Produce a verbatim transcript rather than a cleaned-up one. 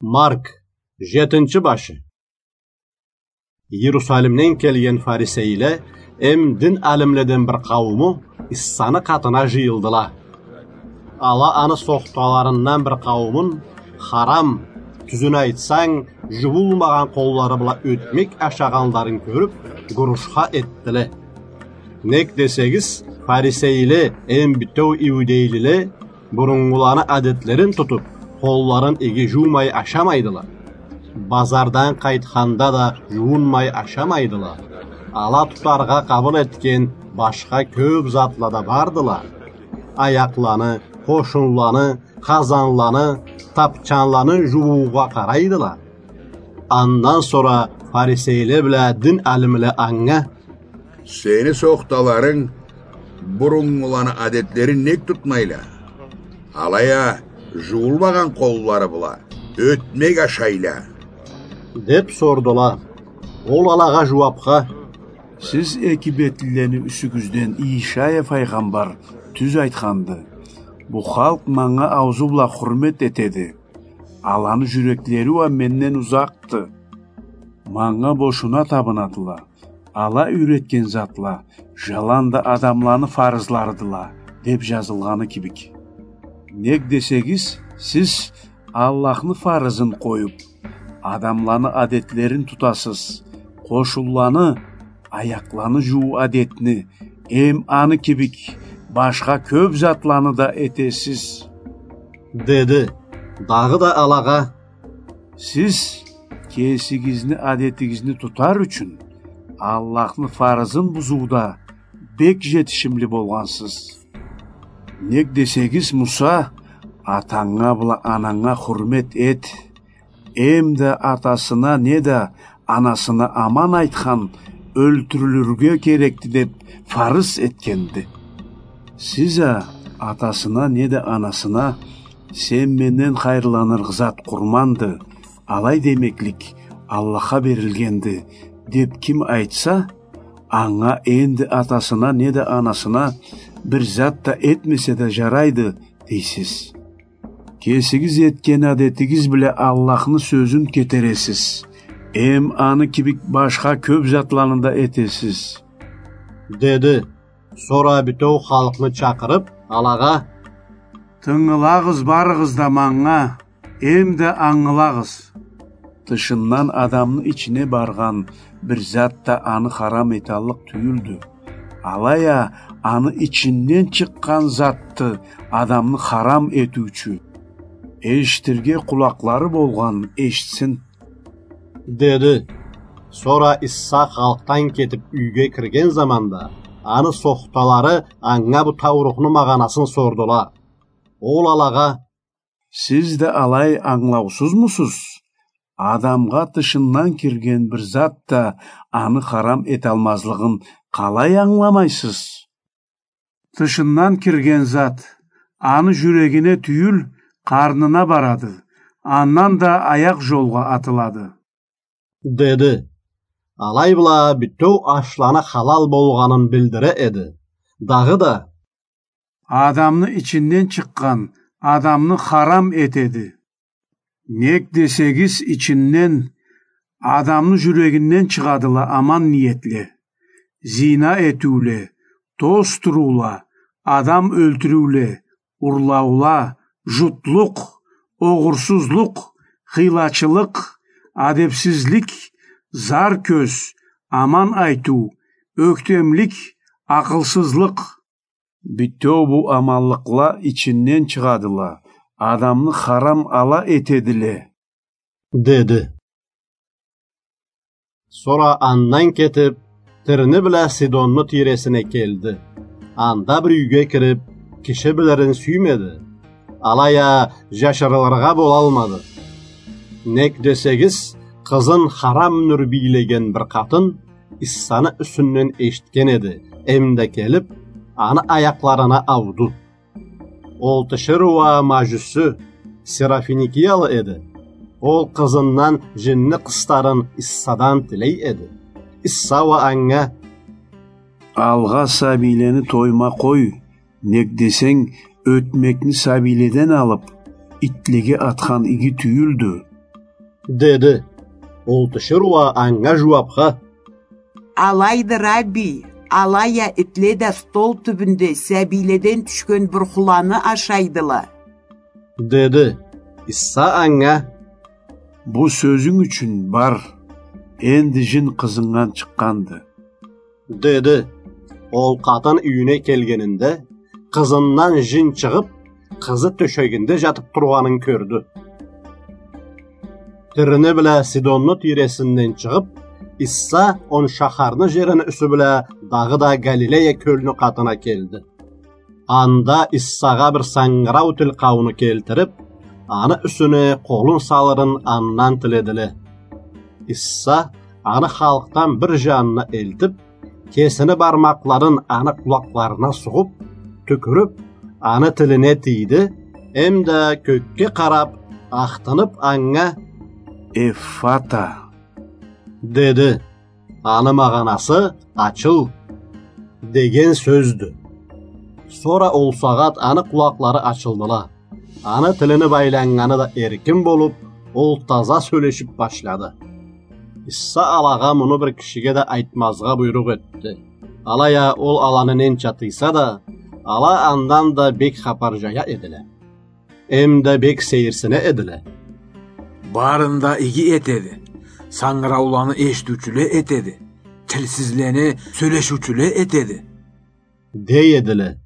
Марк, жетинчи башы. Иерусалимден келген фарисейле эм дин алимледен бир къаууму Иссаны къатына жыйылдыла. Ала аны сохталарындан бир къауумун харам, тюзюн айтсанг, жууулмагъан къоллары бла ётмек ашагъанларын кёрюп, гурушха этдиле. Нек десегиз, фарисейле эм бютеу иудейлиле буруннгуланы адетлерин тутуп, къолларын иги жуумай ашамайдыла. Базардан къайтханда да жуунмай ашамайдыла. Ала тутаргъа къабыл этген башха кёп затла да бардыла. Аякъланы, къошунланы, къазанланы, тапчанланы жууугъа къарайдыла. Андан сора фарисейле бла дин алимле анга: «Сени сохталарынг буруннгуланы адетлерин нек тутмайла? Алай а жууулмагъан къоллары бла ётмек ашайла», — деп сордула. Ол алагъа жууапха: «Сиз эки бетлилени юсюгюзден Ийшая файгъамбар тюз айтханды: „Бу халкъ манга аузу бла хурмет этеди, аланы жюреклери уа менден узакъды. Манга бошуна табынадыла. Ала юйретген затла жаланда адамланы фарызларыдыла“, — деп жазылгъаны кибик. Нек десегиз, сиз Аллахны фарызын къоюп, адамланы адетлерин тутасыз, къошунланы, аякъланы жууу адетни эм аны кибик башха кёп затланы да этесиз», — деди. Дагъыда алагъа: «Сиз кесигизни адетигизни тутар ючюн Аллахны фарызын бузууда бек жетишимли болгъансыз. Нек десегиз, Муса: „Атанга бла ананга хурмет эт, эм да атасына неда анасына аман айтхан ёлтюрюлюрге керекди“, — деп фарыз этгенди. Сиз а атасына неда анасына: „Сен менден хайырланыргъа зат къурманды, алай демеклик Аллахха берилгенди“, — деп ким айтса, анга энди атасына неда анасына бир зат да этмесе да жарайды, дейсиз. Кесигиз этген адетигиз бла Аллахны сёзюн кетересиз, эм аны кибик башха кёп затланы да этесиз», — деди. Сора бютеу халкъны чакъырып, алагъа: «Тынгылагъыз барыгъыз да манга, эм да ангылагъыз. Тышындан адамны ичине баргъан бир зат да аны харам эталлыкъ тюйюлдю. Алай а аны ичинден чыкъгъан затды адамны харам этиучю. Эшитирге къулакълары болгъан эшитсин», — деди. Сора Иса халкъдан кетип, юйге кирген заманда, аны сохталары анга бу таурухну магъанасын сордула. Ол алагъа: «Сиз да алай ангылаусузмусуз? Адамгъа тышындан кирген бир зат да аны харам эталмазлыгъын къалай ангыламайсыз? Тышындан кирген зат аны жюрегине тюйюл, къарнына барады, андан да аякъ жолгъа атылады», — деди. Алай бла бютеу ашланы халал болгъанын билдире эди. Дагъыда: «Адамны ичинден чыкъгъан адамны харам этеди. Нек десегиз, ичинден, адамны жюрегинден чыгъадыла аман ниетле: зина этиуле, тозтуруула, адам ёлтюрюуле, урлаула, жутлукъ, огъурсузлукъ, хыйлачылыкъ, адепсизлик, зар кёз, аман айтыу, ёктемлик, акъылсызлыкъ. Бютеу бу аманлыкъла ичинден чыгъадыла, адамны харам ала этедиле», — деди. Сора андан кетип, Тирни бла Сидонну тийресине келди. Анда бир юйге кирип, киши билирин сюймеди. Алай а жашырылыргъа болалмады. Нек десегиз, къызын харам нюр бийлеген бир къатын Иссаны юсюнден эшитген эди, эмда келип, аны аякъларына ауду. Ол тиширыу а мажюсю, сирофиникиялы эди. Ол къызындан жинни къыстарын Иссадан тилей эди. Исса уа анга: «Алгъа сабийлени тойма къой, нек десенг, ётмекни сабийледен алып, итлеге атхан иги тюйюлдю». — деди. Ол тиширыу а анга жууапха: — Алайды, Рабби, алай а итле да стол тюбюнде сабийледен тюшген бурхуланы ашайдыла, — деди. Иса анга: — Бу сёзюнг ючюн бар, энди жин къызынгдан чыкъгъанды, — деди. Ол къатын юйюне келгенинде, къызындан жин чыгъып, къызы тёшегинде жатып тургъанын кёрдю. Тирни бла Сидонну тийресинден чыгъып, Иса он шахарны жерини юсю бла дагъыда Галилея кёлню къатына келди. Анда Исагъа бир сангырау тил къауну келтирип, аны юсюне къолун салырын андан тиледиле. Иса аны халкъдан бир жанына элтип, кесини бармакъларын аны къулакъларына сугъуп, тюкюрюп, аны тилине тийди, эмда кёкге къарап, ахтынып анга: — Эффата, — деди. Аны магъанасы «Ачыл» деген сёздю. Сора ол сагъат аны къулакълары ачылдыла. Аны тилини байланнганы да эркин болуп, ол таза сёлешип башлады. Иса алагъа муну бир кишиге да айтмазгъа буйрукъ этди. Алай а ол аланы ненча тыйса да, ала андан да бек хапар жая эдиле. Эмда бек сейирсине эдиле. Барын да иги этеди. Сангырауланы эшитиучюле этеди. Тилсизлени сёлешиучюле этеди, — дей эдиле.